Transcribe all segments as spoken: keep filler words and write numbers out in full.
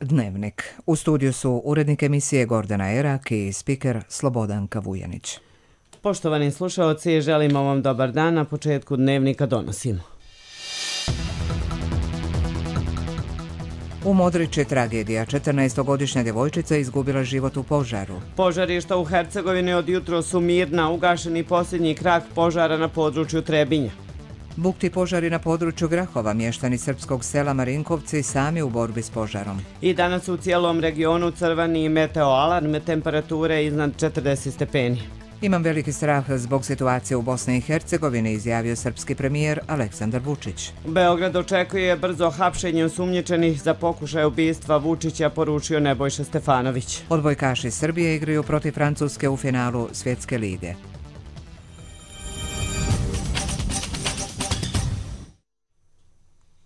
Dnevnik. U studiju su urednik emisije Gordana Erak i spiker Slobodanka Vujanić. Poštovani slušaoci, želimo vam dobar dan. Na početku Dnevnika donosimo. U Modriči tragedija. četrnaestogodišnja djevojčica izgubila život u požaru. Požarišta u Hercegovini od jutro su mirna, ugašeni posljednji krak požara na području Trebinja. Bukti požari na području Grahova, mještani srpskog sela Marinkovci sami u borbi s požarom. I danas u cijelom regionu crveni meteoalarm, temperature iznad četrdeset stepeni. Imam veliki strah zbog situacije u Bosni i Hercegovini, izjavio srpski premijer Aleksandar Vučić. Beograd očekuje brzo hapšenje osumnjičenih za pokušaj ubistva Vučića, poručio Nebojša Stefanović. Odbojkaši Srbije igraju protiv Francuske u finalu Svjetske lige.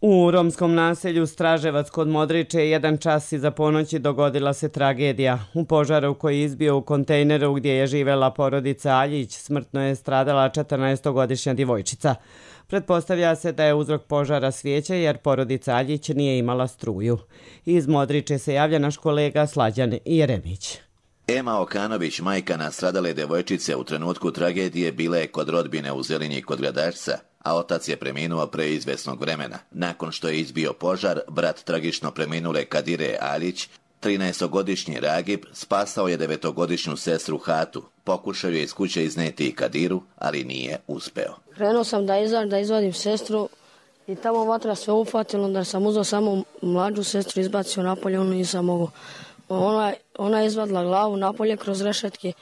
U romskom naselju Straževac kod Modriče jedan čas iza ponoći dogodila se tragedija. U požaru koji je izbio u kontejneru gdje je živjela porodica Aljić smrtno je stradala četrnaestogodišnja djevojčica. Pretpostavlja se da je uzrok požara svijeće jer porodica Aljić nije imala struju. Iz Modriče se javlja naš kolega Slađan Jeremić. Ema Okanović, majka nastradale djevojčice, u trenutku tragedije bila je kod rodbine u Zelinji kod Gradašca, a otac je preminuo pre izvesnog vremena. Nakon što je izbio požar, brat tragično preminule Kadire Aljić, trinaestogodišnji Ragib, spasao je devetogodišnju sestru Hatu. Pokušao je iz kuće izneti Kadiru, ali nije uspeo. Krenuo sam da, izad, da izvadim sestru i tamo vatra sve ufatilo, onda sam uzeo samo mlađu sestru, izbacio napolje, ono nisam mogao. Ona, ona je izvadila glavu napolje kroz rešetke.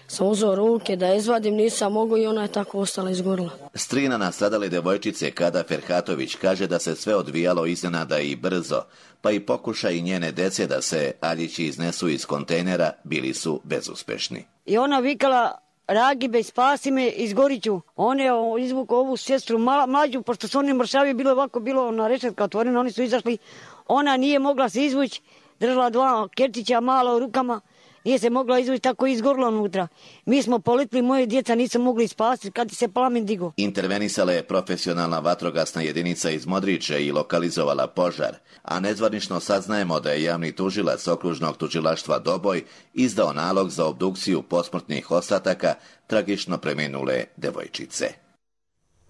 Sam uzeo ruke da izvadim, nisam mogao i ona je tako ostala izgorila. Strina nastradale djevojčice Kada Ferhatović kaže da se sve odvijalo iznenada i brzo, pa i pokušaj njene dece da se Aljići iznesu iz kontejnera bili su bezuspešni. I ona vikala: Ragibe, spasi me, izgorit ću. On je izvukao ovu sestru mala, mlađu, pošto su oni mršavi, bilo ovako, bilo na rešetka otvorena, oni su izašli. Ona nije mogla se izvući, držala dva kertića mala u rukama. Nije se mogla izvući, tako izgorila unutra. Mi smo poletili, moje djeca nisu mogli spasiti kad se plamen digao. Intervenisala je profesionalna vatrogasna jedinica iz Modriče i lokalizovala požar, a nezvanično saznajemo da je javni tužilac okružnog tužilaštva Doboj izdao nalog za obdukciju posmrtnih ostataka tragično preminule devojčice.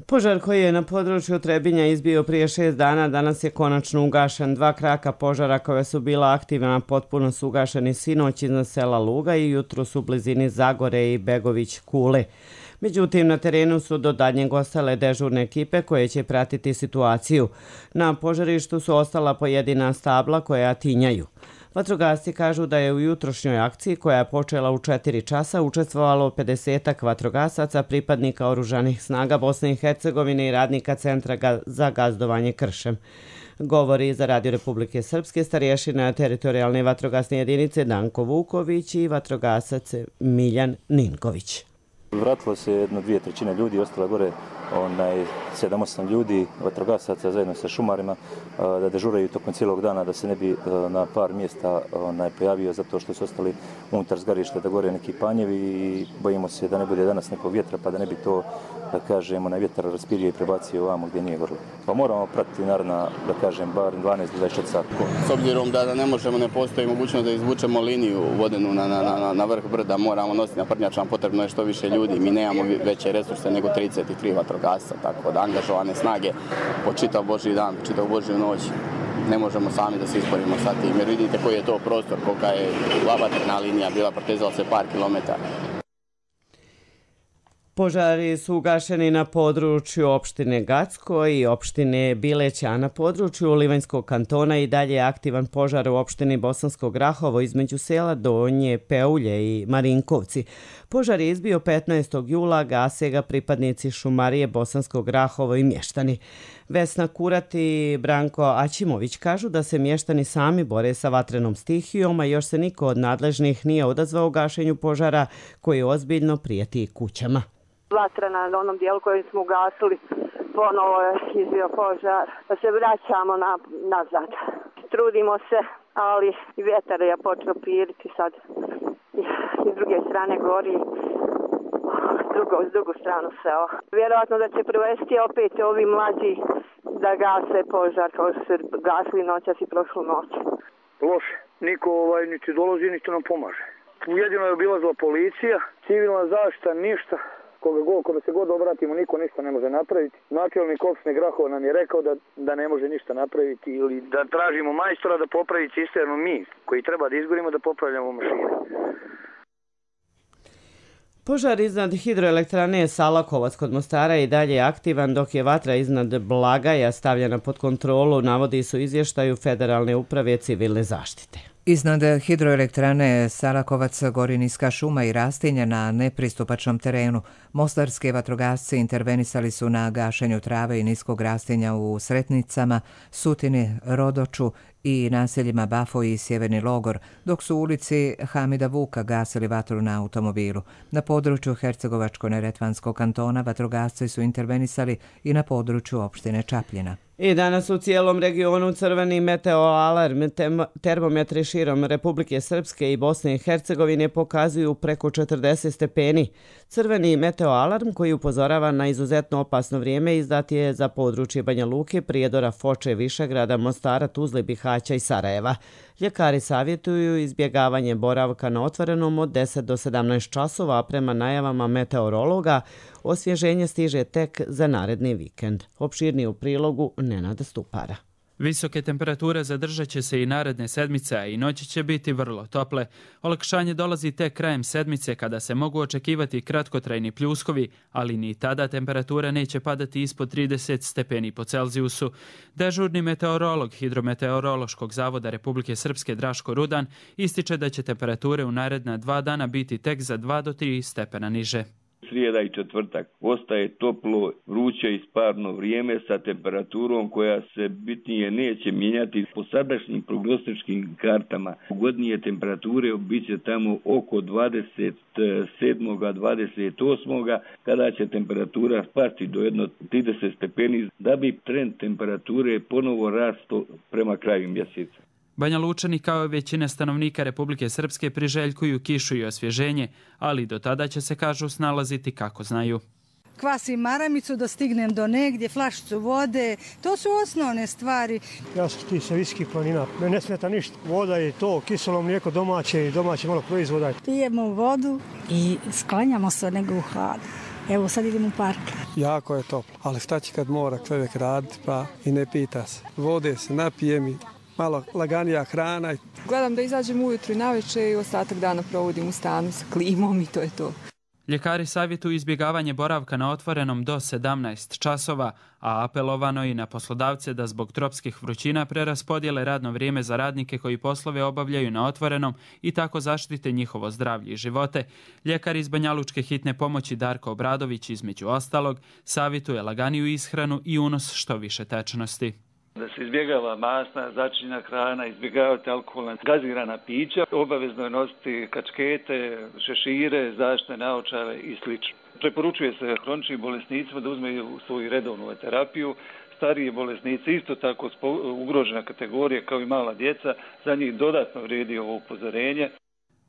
Požar koji je na području Trebinja izbio prije šest dana, danas je konačno ugašen. Dva kraka požara koja su bila aktivna potpuno su ugašeni sinoć iznad sela Luga i jutro su u blizini Zagore i Begović Kule. Međutim, na terenu su do daljnjeg ostale dežurne ekipe koje će pratiti situaciju. Na požarištu su ostala pojedina stabla koja tinjaju. Vatrogasci kažu da je u jutrošnjoj akciji koja je počela u četiri časa učestvovalo pedesetak vatrogasaca, pripadnika oružanih snaga Bosne i Hercegovine i radnika Centra za gazdovanje kršem. Govori za Radio Republike Srpske starješina teritorijalne vatrogasne jedinice Danko Vuković i vatrogasac Miljan Ninković. Vratilo se jedno dvije trećine ljudi, ostalo gore onaj sedam osam ljudi, vatrogasaca zajedno sa šumarima, da dežuraju tokom cijelog dana, da se ne bi na par mjesta onaj pojavio zato što su ostali unutar zgarišta da gore neki panjevi i bojimo se da ne bude danas nekog vjetra pa da ne bi to, da kažem, onaj vjetar raspirio i prebacio ovamo gdje nije gorilo. Pa moramo pratiti naravno, da kažem, bar dvanaest do dvadeset četiri sata. S obzirom da ne možemo, ne postoji mogućnost da izvučemo liniju vodenu na, na, na, na vrh brda, moramo nositi na prnjačama, potrebno je što više ljudi, mi nemamo veće resurse nego trideset tri vatrogasca, tako da angažovane snage po čitav Božji dan, po čitav Božju noć. Ne možemo sami da se isporimo sa tim, jer vidite koji je to prostor, kolika je vatrena linija bila, protezala se par kilometara. Požari su ugašeni na području opštine Gacko i opštine Bileća, a na području Livanjskog kantona i dalje je aktivan požar u opštini Bosansko Grahovo između sela Donje Peulje i Marinkovci. Požar je izbio petnaestog jula, gase ga pripadnici šumarije Bosansko Grahovo i mještani. Vesna Kurat i Branko Aćimović kažu da se mještani sami bore sa vatrenom stihijom, a još se niko od nadležnih nije odazvao u gašenju požara koji ozbiljno prijeti kućama. Vatra na onom dijelu koji smo ugasili, ponovo je izbio požar, da se vraćamo na, nazad. Trudimo se, ali i vjetar je počeo piriti sad. I s druge strane gori, drugo, s drugu stranu seo. Vjerojatno da će privesti opet ovi mlađi da gase požar kao što su gasili noćas i prošlu noć. loše. Niko ovaj, niti dolazi, niti nam pomaže. Jedino je obilazila policija, civilna zaštita, ništa. Koga god, kada se god obratimo, niko ništa ne može napraviti. Načelnik opštine Grahova nam je rekao da, da ne može ništa napraviti ili da tražimo majstora da popravi cisternu mi, koji treba da izgorimo da popravljamo mašine. Požar iznad hidroelektrane Salakovac kod Mostara je i dalje aktivan, dok je vatra iznad Blagaja stavljena pod kontrolu, navodi su izvještaju Federalne uprave civilne zaštite. Iznad hidroelektrane Salakovac gori niska šuma i rastinja na nepristupačnom terenu. Mostarski vatrogasci intervenisali su na gašenju trave i niskog rastinja u Sretnicama, Sutini, Rodoču i naseljima Bafo i Sjeverni Logor, dok su u ulici Hamida Vuka gasili vatru na automobilu. Na području Hercegovačko-neretvanskog kantona vatrogasci su intervenisali i na području opštine Čapljina. I danas u cijelom regionu crveni meteoalarm. Termometri širom Republike Srpske i Bosne i Hercegovine pokazuju preko četrdeset stepeni. Crveni meteoalarm koji upozorava na izuzetno opasno vrijeme izdat je za područje Banja Luke, Prijedora, Foče, Višegrada, Mostara, Tuzle, Bihaća i Sarajeva. Ljekari savjetuju izbjegavanje boravka na otvorenom od deset do sedamnaest časova, a prema najavama meteorologa osvježenje stiže tek za naredni vikend. Opširnije u prilogu Nenada Stupara. Visoke temperature zadržat će se i naredne sedmice, a i noći će biti vrlo tople. Olakšanje dolazi tek krajem sedmice kada se mogu očekivati kratkotrajni pljuskovi, ali ni tada temperatura neće padati ispod trideset stepeni po Celzijusu. Dežurni meteorolog Hidrometeorološkog zavoda Republike Srpske Draško Rudan ističe da će temperature u naredna dva dana biti tek za dva do tri stepena niže. Srijeda i četvrtak ostaje toplo, vruće i sparno vrijeme sa temperaturom koja se bitnije neće mijenjati. Po sadašnjim prognostičkim kartama pogodnije temperature biće tamo oko dvadeset sedmog dvadeset osmog kada će temperatura spasti do jedno trideset stepeni da bi trend temperature ponovo rasto prema kraju mjeseca. Banja Lučani kao i većina stanovnika Republike Srpske priželjkuju kišu i osvježenje, ali do tada će se, kažu, snalaziti kako znaju. Kvasim maramicu da stignem do negdje, flašicu vode, to su osnovne stvari. Ja sam ti sa viskih planina, me ne smeta ništa. Voda je to, kiselo mlijeko domaće i domaće malo proizvoda. Pijemo vodu i sklanjamo se nego u hlad. Evo sad idemo u park. Jako je toplo, ali šta će kad mora čovjek raditi pa i ne pita se. Vode se napijem i malo laganija hrana. Gledam da izađem ujutru i navečer i ostatak dana provodim u stanu sa klimom i to je to. Ljekari savjetuju izbjegavanje boravka na otvorenom do sedamnaest časova, a apelovano i na poslodavce da zbog tropskih vrućina preraspodijele radno vrijeme za radnike koji poslove obavljaju na otvorenom i tako zaštite njihovo zdravlje i živote. Ljekar iz Banjalučke hitne pomoći Darko Obradović, između ostalog, savjetuje laganiju ishranu i unos što više tečnosti. Da se izbjegava masna, začinjena hrana, izbjegavati alkoholna gazirana pića, obavezno je nositi kačkete, šešire, zaštitne naočale i sl. Preporučuje se hroničnim bolesnicima da uzmeju svoju redovnu terapiju. Stariji bolesnici isto tako ugrožena kategorija kao i mala djeca, za njih dodatno vrijedi ovo upozorenje.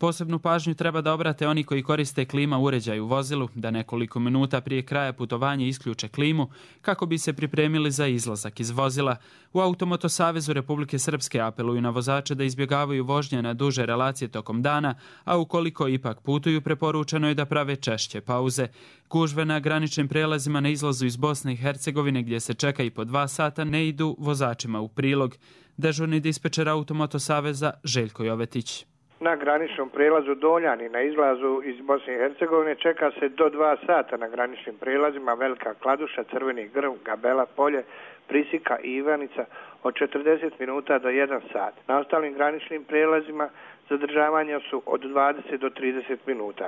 Posebnu pažnju treba da obrate oni koji koriste klima uređaj u vozilu, da nekoliko minuta prije kraja putovanja isključe klimu kako bi se pripremili za izlazak iz vozila. U Automoto Savezu Republike Srpske apeluju na vozače da izbjegavaju vožnje na duže relacije tokom dana, a ukoliko ipak putuju, preporučeno je da prave češće pauze. Gužve na graničnim prelazima na izlazu iz Bosne i Hercegovine, gdje se čeka i po dva sata, ne idu vozačima u prilog. Dežurni dispečer Automoto Saveza Željko Jovetić. Na graničnom prelazu Doljani na izlazu iz Bosne i Hercegovine čeka se do dva sata na graničnim prelazima Velika Kladuša, Crveni Grm, Gabela Polje, Prisika i Ivanica od četrdeset minuta do jedan sat. Na ostalim graničnim prelazima zadržavanja su od dvadeset do trideset minuta.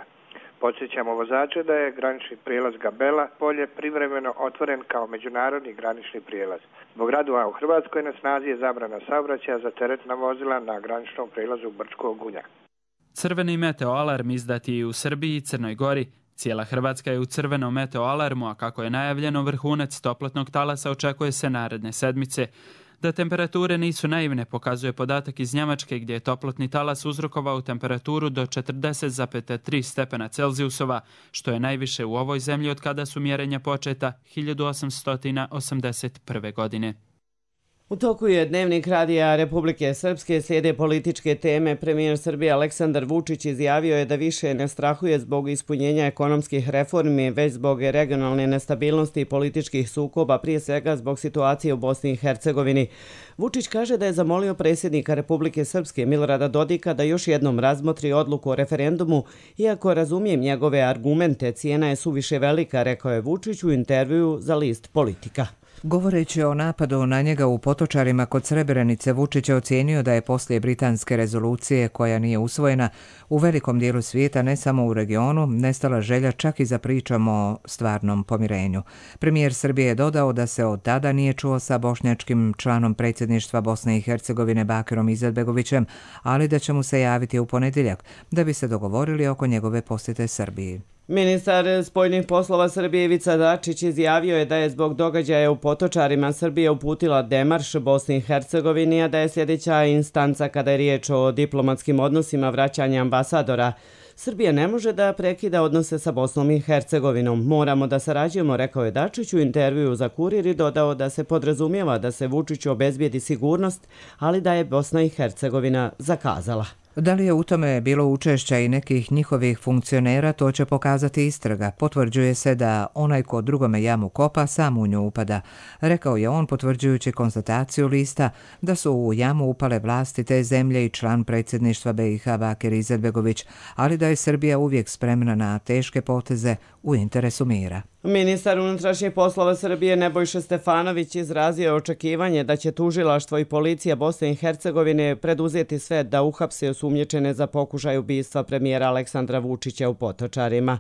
Podsjećamo vozače da je granični prijelaz Gabela Polje privremeno otvoren kao međunarodni granični prijelaz. Zbog radova u Hrvatskoj na snazi je zabrana saobraćaja za teretna vozila na graničnom prijelazu Brčkog Gunja. Crveni meteoalarm izdat je i u Srbiji i Crnoj Gori. Cijela Hrvatska je u crvenom meteoalarmu, a kako je najavljeno, vrhunac toplotnog talasa očekuje se naredne sedmice. Da temperature nisu naivne pokazuje podatak iz Njemačke, gdje je toplotni talas uzrokovao temperaturu do četrdeset zarez tri stepena Celzijusova, što je najviše u ovoj zemlji od kada su mjerenja početa hiljadu osamsto osamdeset prve. godine. U toku je Dnevnik radija Republike Srpske, slijede političke teme. Premijer Srbije Aleksandar Vučić izjavio je da više ne strahuje zbog ispunjenja ekonomskih reformi, već zbog regionalne nestabilnosti i političkih sukoba, prije svega zbog situacije u Bosni i Hercegovini. Vučić kaže da je zamolio predsjednika Republike Srpske Milorada Dodika da još jednom razmotri odluku o referendumu, iako razumijem njegove argumente, cijena je suviše velika, rekao je Vučić u intervjuu za list Politika. Govoreći o napadu na njega u Potočarima kod Srebrenice, Vučić je ocijenio da je poslije britanske rezolucije, koja nije usvojena, u velikom dijelu svijeta, ne samo u regionu, nestala želja čak i za pričom o stvarnom pomirenju. Premijer Srbije je dodao da se od tada nije čuo sa bošnjačkim članom predsjedništva Bosne i Hercegovine Bakirom Izetbegovićem, ali da će mu se javiti u ponedjeljak, da bi se dogovorili oko njegove posjete Srbiji. Ministar spoljnih poslova Srbije Ivica Dačić izjavio je da je zbog događaja u Potočarima Srbija uputila demarš Bosni i Hercegovini, a da je sljedeća instanca kada je riječ o diplomatskim odnosima vraćanje ambasadora. Srbija ne može da prekida odnose sa Bosnom i Hercegovinom. Moramo da sarađujemo, rekao je Dačić u intervjuu za Kurir i dodao da se podrazumijeva da se Vučiću obezbijedi sigurnost, ali da je Bosna i Hercegovina zakazala. Da li je u tome bilo učešća i nekih njihovih funkcionera, to će pokazati istraga. Potvrđuje se da onaj ko drugome jamu kopa, sam u nju upada. Rekao je on, potvrđujući konstataciju lista da su u jamu upale vlasti te zemlje i član predsjedništva be i ha Bakir Izetbegović, ali da je Srbija uvijek spremna na teške poteze u interesu mira. Ministar unutrašnjih poslova Srbije Nebojša Stefanović izrazio je očekivanje da će tužilaštvo i policija Bosne i Hercegovine preduzeti sve da uhapse osumnjičene za pokušaj ubistva premijera Aleksandra Vučića u Potočarima.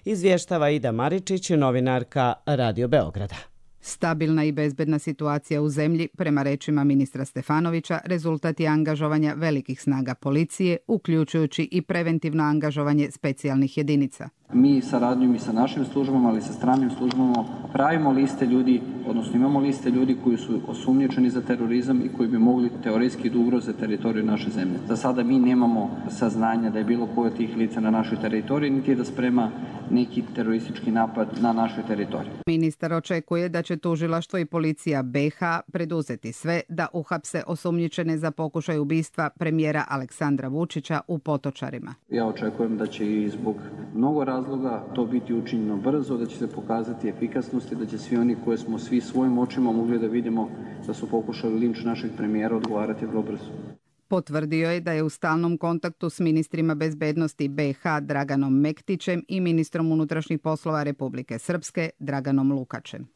Izvještava Ida Maričić, novinarka Radio Beograda. Stabilna i bezbedna situacija u zemlji, prema rečima ministra Stefanovića, rezultat je angažovanja velikih snaga policije, uključujući i preventivno angažovanje specijalnih jedinica. Mi saradnjom i sa našim službama, ali i sa stranim službama pravimo liste ljudi, odnosno imamo liste ljudi koji su osumnjičeni za terorizam i koji bi mogli teoretski da ugroze teritoriju naše zemlje. Za sada mi nemamo saznanja da je bilo koje od tih lica na našoj teritoriji, niti da sprema neki teroristički napad na našoj teritoriji. Ministar očekuje da će tužilaštvo i policija be ha preduzeti sve da uhapse osumnjičene za pokušaj ubistva premijera Aleksandra Vučića u Potočarima. Ja očekujem da će i zbog mnogo razloga to biti učinjeno brzo, da će se pokazati efikasnost i da će svi oni koje smo svi svojim očima mogli da vidimo da su pokušali linč našeg premijera odgovarati vrlo brzo. Potvrdio je da je u stalnom kontaktu s ministrima bezbednosti be ha Draganom Mektićem i ministrom unutrašnjih poslova Republike Srpske Draganom Lukačem.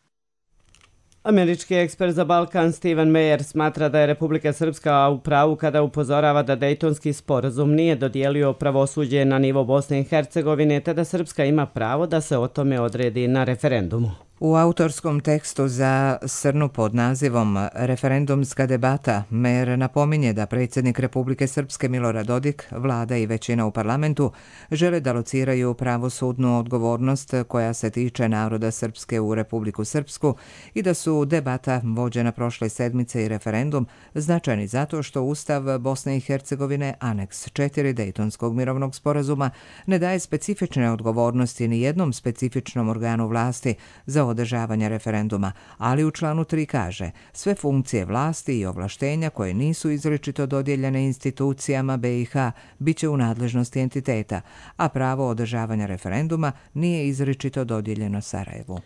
Američki ekspert za Balkan Steven Meyer smatra da je Republika Srpska u pravu kada upozorava da Dejtonski sporazum nije dodijelio pravosuđe na nivo Bosne i Hercegovine, te da Srpska ima pravo da se o tome odredi na referendumu. U autorskom tekstu za Srnu pod nazivom Referendumska debata, Meyer napominje da predsjednik Republike Srpske Milorad Dodik, vlada i većina u parlamentu žele da lociraju pravosudnu odgovornost koja se tiče naroda Srpske u Republiku Srpsku i da su debata vođena prošle sedmice i referendum značajni zato što Ustav Bosne i Hercegovine, aneks četiri Dejtonskog mirovnog sporazuma, ne daje specifične odgovornosti ni jednom specifičnom organu vlasti za održavanja referenduma, ali u članu tri kaže sve funkcije vlasti i ovlaštenja koje nisu izričito dodijeljene institucijama be i ha bit će u nadležnosti entiteta, a pravo održavanja referenduma nije izričito dodijeljeno Sarajevu.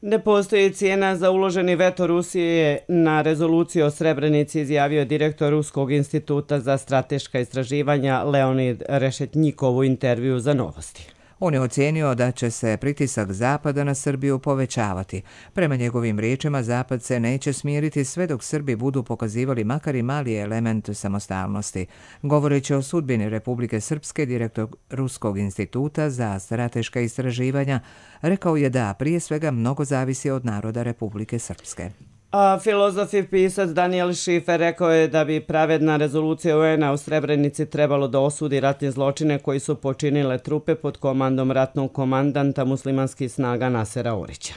Ne postoji cijena za uloženi veto Rusije na rezoluciju o Srebrenici, izjavio direktor Ruskog instituta za strateška istraživanja Leonid Rešetnjikov u intervju za Novosti. On je ocijenio da će se pritisak Zapada na Srbiju povećavati. Prema njegovim riječima, Zapad se neće smiriti sve dok Srbi budu pokazivali makar i mali element samostalnosti. Govoreći o sudbini Republike Srpske, direktor Ruskog instituta za strateška istraživanja rekao je da prije svega mnogo zavisi od naroda Republike Srpske. A filozof i pisac Daniel Šifer rekao je da bi pravedna rezolucija u en a u Srebrenici trebalo da osudi ratne zločine koji su počinile trupe pod komandom ratnog komandanta muslimanskih snaga Nasera Orića.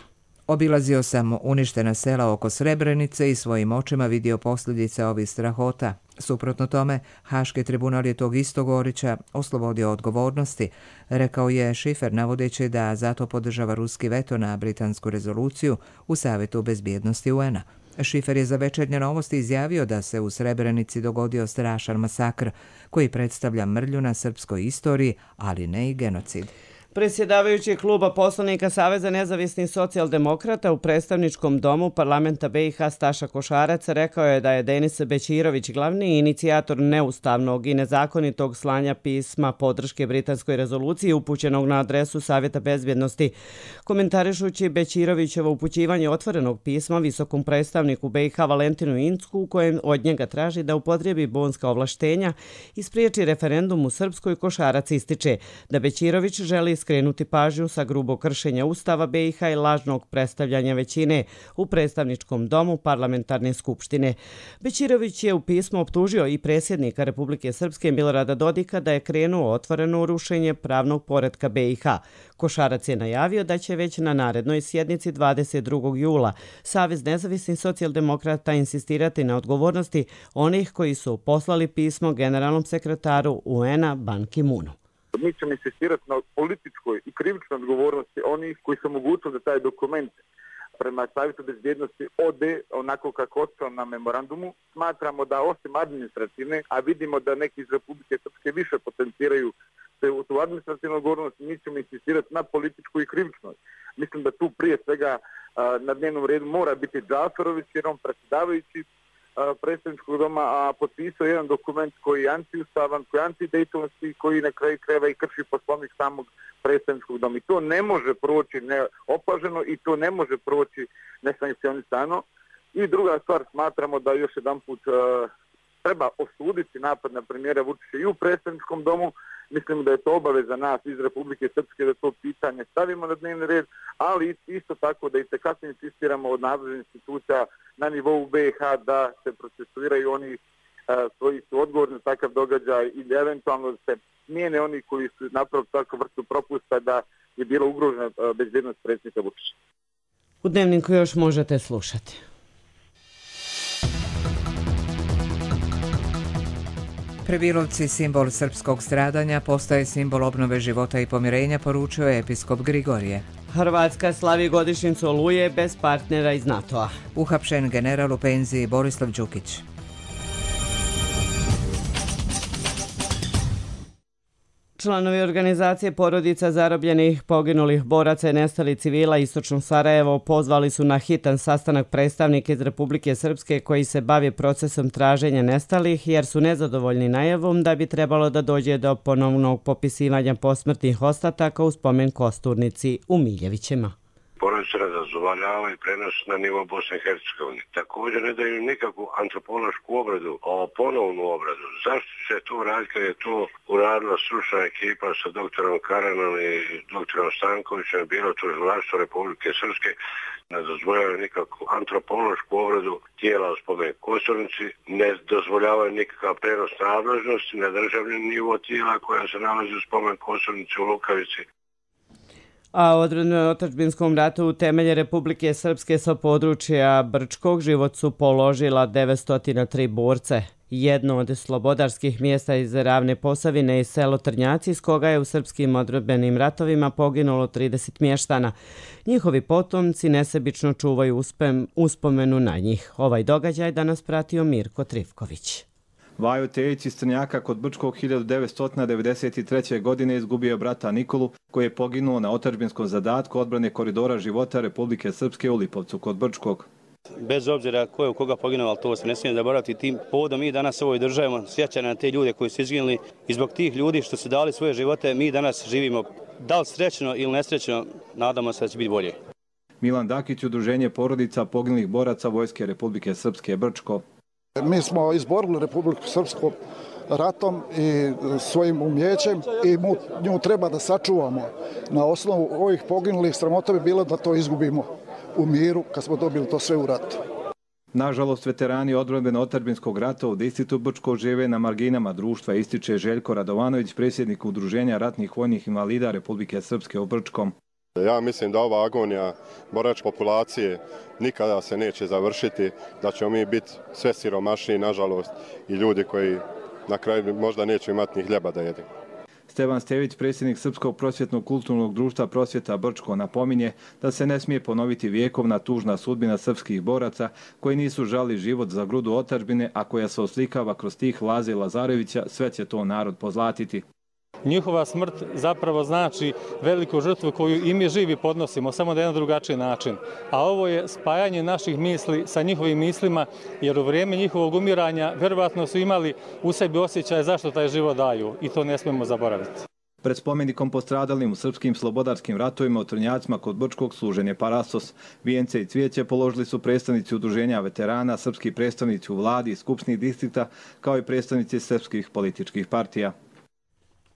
Obilazio sam uništena sela oko Srebrenice i svojim očima vidio posljedice ovih strahota. Suprotno tome, Haški tribunal je tog istog Orića oslobodio odgovornosti, rekao je Šifer, navodeći da zato podržava ruski veto na britansku rezoluciju u Savjetu bezbjednosti u en a. Šifer je za Večernje novosti izjavio da se u Srebrenici dogodio strašan masakr koji predstavlja mrlju na srpskoj istoriji, ali ne i genocid. Predsjedavajući kluba poslanika Saveza nezavisnih socijaldemokrata u predstavničkom domu parlamenta B i H Staša Košarac rekao je da je Denis Bećirović glavni inicijator neustavnog i nezakonitog slanja pisma podrške britanskoj rezoluciji upućenog na adresu Savjeta bezbjednosti. Komentarišući Bećirovićevo upućivanje otvorenog pisma visokom predstavniku B i H Valentinu Incku u kojem od njega traži da upotrebi bonska ovlaštenja i spriječi referendum u Srpskoj, Košarac ističe da Bećirović želi skrenuti pažnju sa grubog kršenja Ustava B i H i lažnog predstavljanja većine u predstavničkom domu parlamentarne skupštine. Bećirović je u pismu optužio i predsjednika Republike Srpske Milorada Dodika da je krenuo otvoreno rušenje pravnog poretka B i H. Košarac je najavio da će već na narednoj sjednici dvadeset drugog jula Savez nezavisnih socijaldemokrata insistirati na odgovornosti onih koji su poslali pismo generalnom sekretaru U N-a Ban Ki-moonu. Mi ćemo insistirati na političkoj i krivičnoj odgovornosti onih koji su omogućili da taj dokument prema Savjetu bezbjednosti ode onako kako ostao na memorandumu. Smatramo da osim administrativne, a vidimo da neki iz Republike Srpske više potenciraju u tu administrativnu odgovornost, mi ćemo insistirati na političkoj i krivičnoj. Mislim da tu prije svega na dnevnom redu mora biti Džaferović, jer on predsjedavajući predstavničkog doma, a potpisao jedan dokument koji je antiustavan, koji je antidejtonski, koji na kraju krajeva i krši poslovnik samog predstavničkog doma. I to ne može proći neopaženo i to ne može proći nesankcionisano. I druga stvar, smatramo da još jedan put uh, treba osuditi napad na premijera Vučića i u predstavničkom domu. Mislim da je to obaveza nas iz Republike Srpske da to pitanje stavimo na dnevni red, ali isto tako da i tekako insistiramo od nadležnih institucija na nivou B i H da se procesuiraju oni uh, koji su odgovorni za takav događaj i da eventualno se smijene oni koji su napravili takvu vrstu propusta da je bila ugrožena uh, bezbjednost predsjednika Vučića. U Dnevniku još možete slušati. Prebilovci, simbol srpskog stradanja, postaje simbol obnove života i pomirenja, poručio je episkop Grigorije. Hrvatska slavi godišnjicu Oluje bez partnera iz NATO-a. Uhapšen general u penziji Borislav Đukić. Članovi organizacije porodica zarobljenih poginulih boraca i nestalih civila Istočno Sarajevo pozvali su na hitan sastanak predstavnike iz Republike Srpske koji se bavi procesom traženja nestalih jer su nezadovoljni najavom da bi trebalo da dođe do ponovnog popisivanja posmrtnih ostataka u spomen kosturnici u Miljevićima. Porodice ne dozvoljavaju prenos na nivo Bosne i Hercegovine. Također ne daju nikakvu antropološku obradu, o ponovnu obradu. Zašto će to raditi kad je to uradila stručna ekipa sa doktorom Karanom i doktorom Stankovićem, bilo to Vlaštvo Republike Srpske, ne dozvoljavaju nikakvu antropološku obradu tijela u spomen kosturnici, ne dozvoljavaju nikakav prenos nadležnosti na državni nivo tijela koja se nalazi u spomen kosturnici u Lukavici. A u odrednom otadžbinskom ratu u temelje Republike Srpske sa područja Brčkog život su položila devetsto tri borce. Jedno od slobodarskih mjesta iz Ravne Posavine i selo Trnjaci, iz koga je u srpskim odredbenim ratovima poginulo trideset mještana. Njihovi potomci nesebično čuvaju uspem, uspomenu na njih. Ovaj događaj danas pratio Mirko Trivković. Vajo Tejić iz Trnjaka kod Brčkog hiljadu devetsto devedeset treće. godine izgubio brata Nikolu, koji je poginuo na otadžbinskom zadatku odbrane koridora života Republike Srpske u Lipovcu kod Brčkog. Bez obzira ko je u koga poginuo, ali to se ne smije zaboraviti. Tim povodom mi danas ovo državimo sjećanje na te ljude koji su izginuli i zbog tih ljudi što su dali svoje živote mi danas živimo. Da li srećno ili nesrećno, nadamo se da će biti bolje. Milan Dakić, udruženje porodica poginulih boraca Vojske Republike Srpske Brčko. Mi smo izborili Republiku Srpsku ratom i svojim umjećem i nju treba da sačuvamo. Na osnovu ovih poginulih sramota bi bilo da to izgubimo u miru kad smo dobili to sve u ratu. Nažalost, veterani odbrane otadžbinskog rata u distriktu Brčko žive na marginama društva, ističe Željko Radovanović, predsjednik Udruženja ratnih vojnih invalida Republike Srpske u Brčkom. Ja mislim da ova agonija boračke populacije nikada se neće završiti, da ćemo mi biti sve siromašniji, nažalost, i ljudi koji na kraju možda neće imati ni hljeba da jedu. Stevan Stević, predsjednik Srpskog prosvjetnog kulturnog društva Prosvjeta Brčko, napominje da se ne smije ponoviti vjekovna tužna sudbina srpskih boraca koji nisu žali život za grudu otadžbine, a koja se oslikava kroz stih Laze Lazarevića, sve će to narod pozlatiti. Njihova smrt zapravo znači veliku žrtvu koju i mi živi podnosimo, samo na jedan drugačiji način. A ovo je spajanje naših misli sa njihovim mislima, jer u vrijeme njihovog umiranja vjerovatno su imali u sebi osjećaje zašto taj život daju i to ne smijemo zaboraviti. Pred spomenikom postradalim u srpskim slobodarskim ratovima u Trnjacima kod Brčkog služen je parasos. Vijence i cvijeće položili su predstavnici udruženja veterana, srpski predstavnici u vladi i skupštnih distrikta, kao i predstavnici srpskih političkih partija.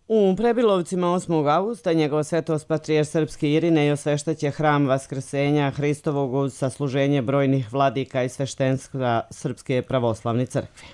U Prebilovcima osmog avgusta njegova svetost patrijarh srpski Irinej osveštaće hram Vaskrsenja Hristovog uz sasluženje brojnih vladika i sveštenstva Srpske pravoslavne crkve.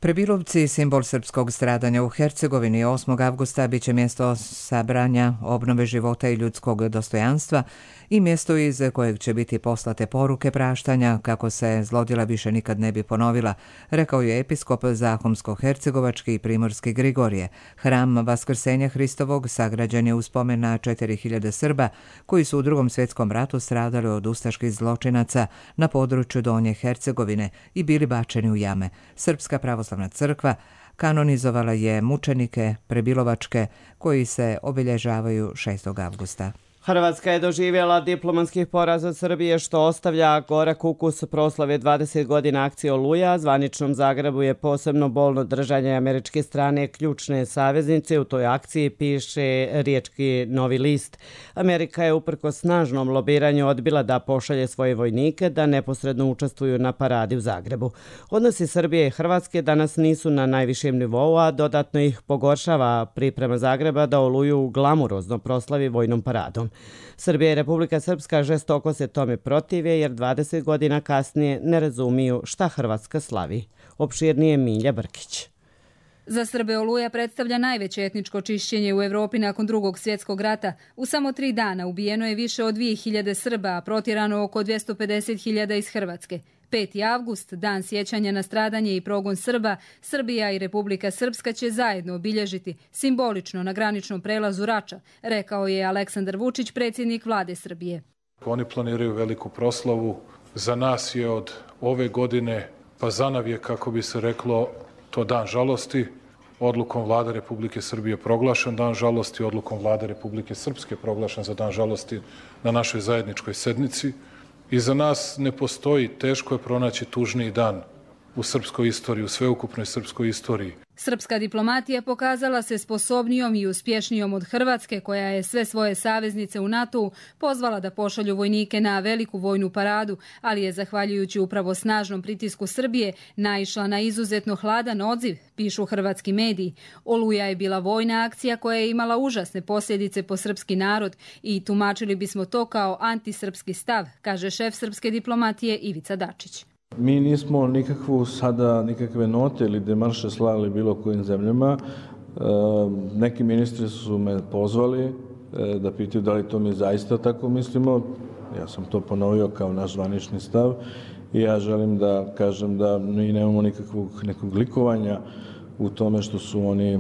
Prebilovci, simbol srpskog stradanja u Hercegovini, osmog avgusta bit će mjesto sabranja, obnove života i ljudskog dostojanstva i mjesto iz kojeg će biti poslate poruke praštanja kako se zlodjela više nikad ne bi ponovila, rekao je episkop Zahumsko-hercegovački i primorski Grigorije. Hram Vaskrsenja Hristovog sagrađen je u spomen na četiri hiljade Srba koji su u Drugom svjetskom ratu stradali od ustaških zločinaca na području Donje Hercegovine i bili bačeni u jame. Srpska pravoslavna crkva kanonizovala je mučenike prebilovačke koji se obilježavaju šestog avgusta. Hrvatska je doživjela diplomatskih poraz od Srbije što ostavlja gorak ukus proslave dvadeset godina akcije Oluja. Zvaničnom Zagrebu je posebno bolno držanje američke strane ključne saveznice. U toj akciji piše riječki Novi list. Amerika je uprkos snažnom lobiranju odbila da pošalje svoje vojnike da neposredno učestvuju na paradi u Zagrebu. Odnosi Srbije i Hrvatske danas nisu na najvišem nivou, a dodatno ih pogoršava priprema Zagreba da Oluju glamurozno proslavi vojnom paradom. Srbija i Republika Srpska žestoko se tome protive jer dvadeset godina kasnije ne razumiju šta Hrvatska slavi. Opširnije Milja Brkić. Za Srbe Oluja predstavlja najveće etničko čišćenje u Evropi nakon Drugog svjetskog rata. U samo tri dana ubijeno je više od dvije hiljade Srba, a protjerano oko dvjesto pedeset hiljada iz Hrvatske. peti avgust, dan sjećanja na stradanje i progon Srba, Srbija i Republika Srpska će zajedno obilježiti simbolično na graničnom prelazu Rača, rekao je Aleksandar Vučić, predsjednik vlade Srbije. Oni planiraju veliku proslavu. Za nas je od ove godine, pa zanav je, kako bi se reklo, to dan žalosti. Odlukom vlade Republike Srbije proglašen dan žalosti, odlukom vlade Republike Srpske proglašen za dan žalosti na našoj zajedničkoj sednici. I za nas ne postoji, teško je pronaći tužniji dan u srpskoj istoriji, u sveukupnoj srpskoj istoriji. Srpska diplomatija pokazala se sposobnijom i uspješnijom od Hrvatske, koja je sve svoje saveznice u NATO-u pozvala da pošalju vojnike na veliku vojnu paradu, ali je zahvaljujući upravo snažnom pritisku Srbije naišla na izuzetno hladan odziv, pišu hrvatski mediji. Oluja je bila vojna akcija koja je imala užasne posljedice po srpski narod i tumačili bismo to kao antisrpski stav, kaže šef srpske diplomatije Ivica Dačić. Mi nismo nikakvu sada nikakve note ili demarše slali bilo kojim zemljama. E, neki ministri su me pozvali e, da pitaju da li to mi zaista tako mislimo. Ja sam to ponovio kao naš zvanični stav i ja želim da kažem da mi nemamo nikakvog nekog likovanja u tome što su oni e,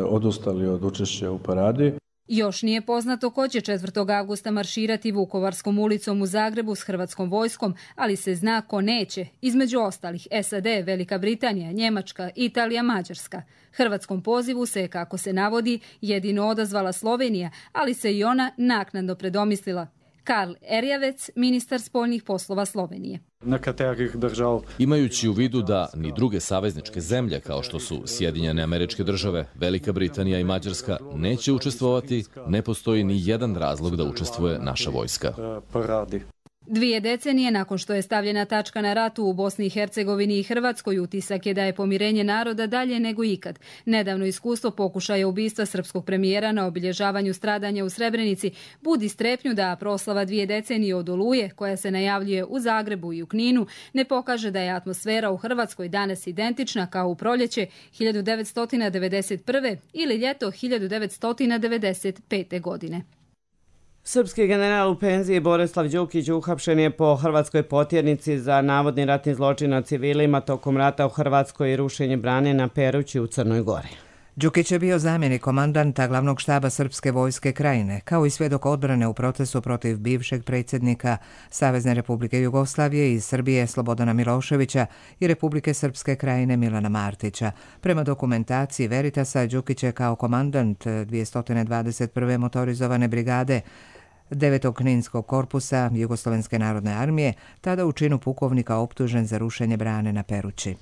odustali od učešća u paradi. Još nije poznato ko će četvrtog avgusta marširati Vukovarskom ulicom u Zagrebu s hrvatskom vojskom, ali se zna ko neće. Između ostalih S A D, Velika Britanija, Njemačka, Italija, Mađarska. Hrvatskom pozivu se, kako se navodi, jedino odazvala Slovenija, ali se i ona naknadno predomislila. Karl Erjavec, ministar spoljnih poslova Slovenije. Imajući u vidu da ni druge savezničke zemlje kao što su Sjedinjene Američke Države, Velika Britanija i Mađarska neće učestvovati, ne postoji ni jedan razlog da učestvuje naša vojska. Dvije decenije nakon što je stavljena tačka na ratu u Bosni i Hercegovini i Hrvatskoj, utisak je da je pomirenje naroda dalje nego ikad. Nedavno iskustvo pokušaja ubistva srpskog premijera na obilježavanju stradanja u Srebrenici budi strepnju da proslava dvije decenije od Oluje, koja se najavljuje u Zagrebu i u Kninu, ne pokaže da je atmosfera u Hrvatskoj danas identična kao u proljeće hiljadu devetsto devedeset prve ili ljeto hiljadu devetsto devedeset pete godine. Srpski general u penziji Borislav Đukić uhapšen je po hrvatskoj potjernici za navodni ratni zločin nad civilima tokom rata u Hrvatskoj i rušenje brane na Perući u Crnoj Gori. Đukić je bio zamjenik komandanta glavnog štaba Srpske vojske Krajine, kao i svjedok odbrane u procesu protiv bivšeg predsjednika Savezne Republike Jugoslavije iz Srbije Slobodana Miloševića i Republike Srpske Krajine Milana Martića. Prema dokumentaciji Veritasa, Đukić je kao komandant dvjesto dvadeset prve motorizovane brigade devetog Kninskog korpusa Jugoslovenske narodne armije, tada u činu pukovnika optužen za rušenje brane na Perući.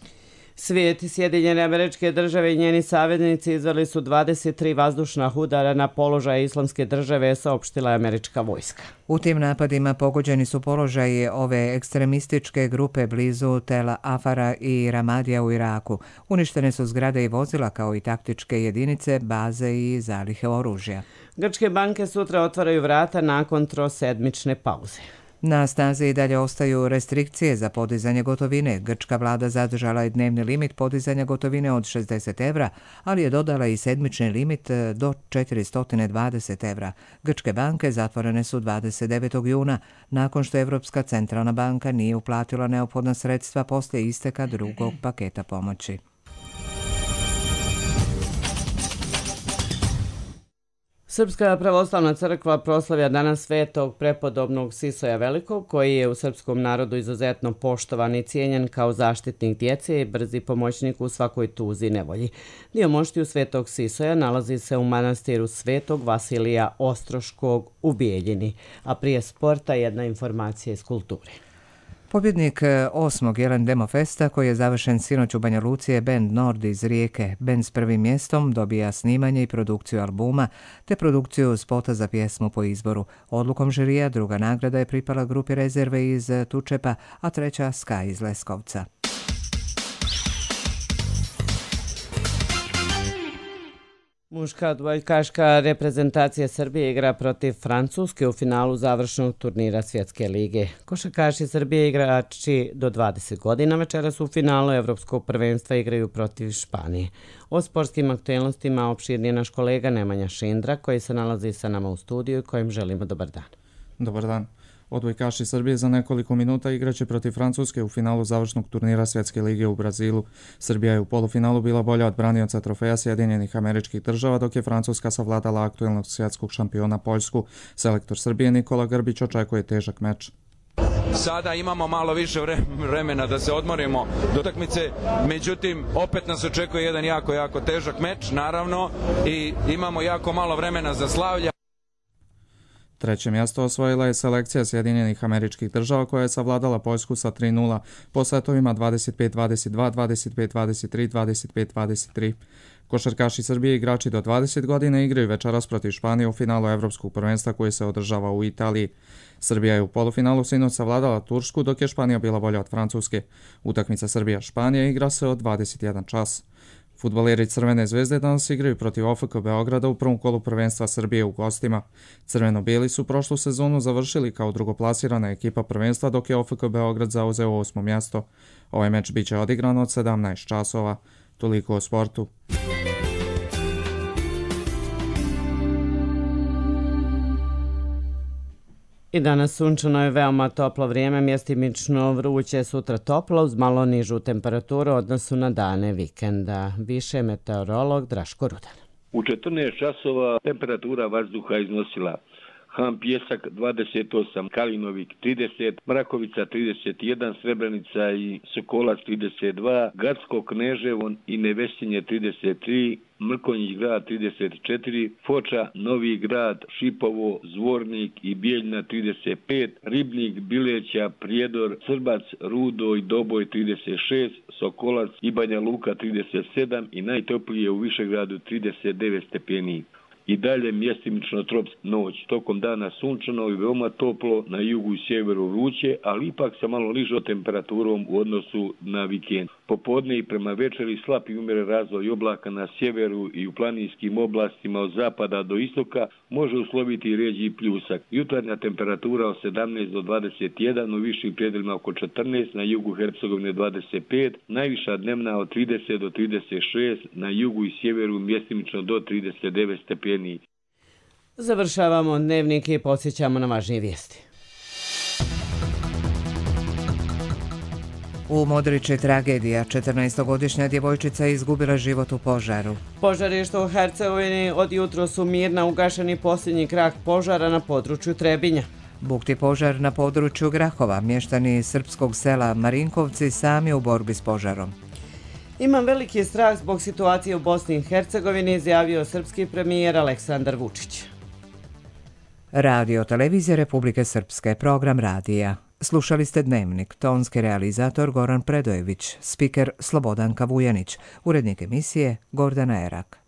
Svijet i Sjedinjene Američke Države i njeni saveznici izveli su dvadeset tri vazdušna udara na položaje Islamske države, saopštila je američka vojska. U tim napadima pogođeni su položaji ove ekstremističke grupe blizu Tel Afara i Ramadija u Iraku. Uništene su zgrade i vozila kao i taktičke jedinice, baze i zalihe oružja. Grčke banke sutra otvaraju vrata nakon trosedmične pauze. Na snazi i dalje ostaju restrikcije za podizanje gotovine. Grčka vlada zadržala je dnevni limit podizanja gotovine od šezdeset evra, ali je dodala i sedmični limit do četiristo dvadeset evra. Grčke banke zatvorene su dvadeset devetog juna, nakon što Evropska centralna banka nije uplatila neophodna sredstva poslije isteka drugog paketa pomoći. Srpska pravoslavna crkva proslavlja danas svetog prepodobnog Sisoja Velikog, koji je u srpskom narodu izuzetno poštovan i cijenjen kao zaštitnik djece i brzi pomoćnik u svakoj tuzi i nevolji. Dio moštiju svetog Sisoja nalazi se u manastiru svetog Vasilija Ostroškog u Bijeljini, a prije sporta jedna informacija iz kulture. Pobjednik osmog Jelen Demo Festa, koji je završen sinoć u Banja Luci, je bend Nord iz Rijeke. Bend s prvim mjestom dobija snimanje i produkciju albuma, te produkciju spota za pjesmu po izboru. Odlukom žirija druga nagrada je pripala grupi Rezerve iz Tučepa, a treća Sky iz Leskovca. Muška odbojkaška reprezentacija Srbije igra protiv Francuske u finalu završnog turnira Svjetske lige. Košarkaši Srbije igrači do dvadeset godina večeras u finalu Evropskog prvenstva igraju protiv Španije. O sportskim aktualnostima opširnije naš kolega Nemanja Šindra, koji se nalazi sa nama u studiju i kojim želimo dobar dan. Dobar dan. Odbojkaši Srbije za nekoliko minuta igraće protiv Francuske u finalu završnog turnira Svjetske lige u Brazilu. Srbija je u polufinalu bila bolja od branioca trofeja Sjedinjenih Američkih Država, dok je Francuska savladala aktuelnog svjetskog šampiona Poljsku. Selektor Srbije Nikola Grbić očekuje težak meč. Sada imamo malo više vremena da se odmorimo do utakmice, međutim opet nas očekuje jedan jako, jako težak meč, naravno, i imamo jako malo vremena za slavlja. Treće mjesto osvojila je selekcija Sjedinjenih Američkih Država, koja je savladala Poljsku sa tri nula po setovima dvadeset pet dvadeset dva, dvadeset pet dvadeset tri, dvadeset pet dvadeset tri. Košarkaši Srbije igrači do dvadeset godina igraju večeras protiv Španije u finalu Evropskog prvenstva koji se održava u Italiji. Srbija je u polufinalu sinoć savladala Tursku, dok je Španija bila bolja od Francuske. Utakmica Srbija-Španija igra se od dvadeset jedan čas. Fudbaleri Crvene zvezde danas igraju protiv O F K Beograda u prvom kolu prvenstva Srbije u gostima. Crveno-bijeli su prošlu sezonu završili kao drugoplasirana ekipa prvenstva, dok je O F K Beograd zauzeo osmo mjesto. Ovaj meč biće odigran od sedamnaest časova. Toliko o sportu. I danas sunčano je veoma toplo vrijeme, mjestimično vruće, sutra toplo uz malo nižu temperaturu u odnosu na dane vikenda. Više meteorolog Draško Rudan. U četrnaest časova temperatura vazduha iznosila Ham Pjesak dvadeset osam, Kalinovik trideset, Mrakovica trideset jedan, Srebrenica i Sokolac trideset dva, Gacko, Kneževo i Nevesinje trideset tri, Mrkonjić grad trideset četiri, Foča, Novi grad, Šipovo, Zvornik i Bijeljna trideset pet, Ribnik, Bileća, Prijedor, Srbac, Rudo i Doboj trideset šest, Sokolac i Banja Luka trideset sedam i najtoplije u Višegradu trideset devet stepeni. I dalje mjestimično tropska noć, tokom dana sunčano i veoma toplo, na jugu i sjeveru vruće, ali ipak sa malo nižom temperaturom u odnosu na vikend. Popodne i prema večeri slab i umjeren razvoj oblaka na sjeveru i u planinskim oblastima od zapada do istoka može usloviti rijeđi pljusak. Jutarnja temperatura od sedamnaest do dvadeset jedan, u višim predjelima oko četrnaest, na jugu Hercegovine dvadeset pet, najviša dnevna od trideset do trideset šest, na jugu i sjeveru mjestimično do trideset devet stepeni. Završavamo dnevnik i podsjećamo na važnije vijesti. U Modrići tragedija, četrnaestogodišnja djevojčica je izgubila život u požaru. Požarišta u Hercegovini od jutro su mirna, ugašeni posljednji krak požara na području Trebinja. Bukti požar na području Grahova, mještani srpskog sela Marinkovci sami u borbi s požarom. Imam veliki strah zbog situacije u Bosni i Hercegovini, izjavio srpski premijer Aleksandar Vučić. Radio televizija Republike Srpske, program radija. Slušali ste Dnevnik, tonski realizator Goran Predojević, spiker Slobodanka Vujanić, urednik emisije Gordana Erak.